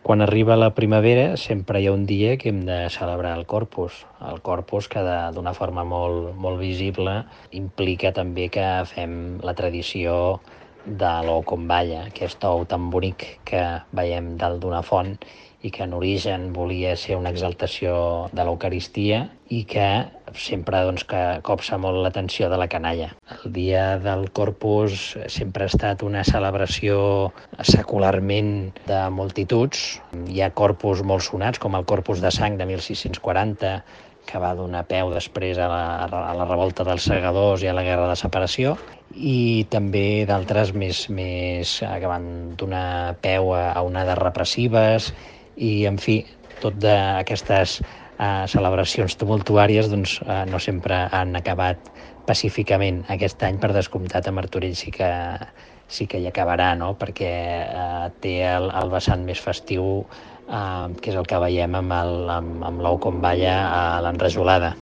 Quan arriba la primavera sempre hi ha un dia que hem de celebrar el Corpus que d'una forma molt visible implica també que fem la tradició de l'ou com balla, aquest ou tan bonic que veiem dalt d'una font i que en origen volia ser una exaltació de l'Eucaristia i que sempre que copsa molt l'atenció de la canalla. El dia del Corpus sempre ha estat una celebració secularment de multituds. Hi ha corpus molt sonats, com el Corpus de Sang de 1640, que va donar peu després a la revolta dels segadors i a la Guerra de Separació, i també d'altres més que van donar peu a onades repressives i, en fi, tot d'aquestes celebracions tumultuàries no sempre han acabat pacíficament. Aquest any, per descomptat, a Martorell sí que hi acabarà, no? Perquè té el vessant més festiu, que és el que veiem amb l'ou com balla a l'enrajolada.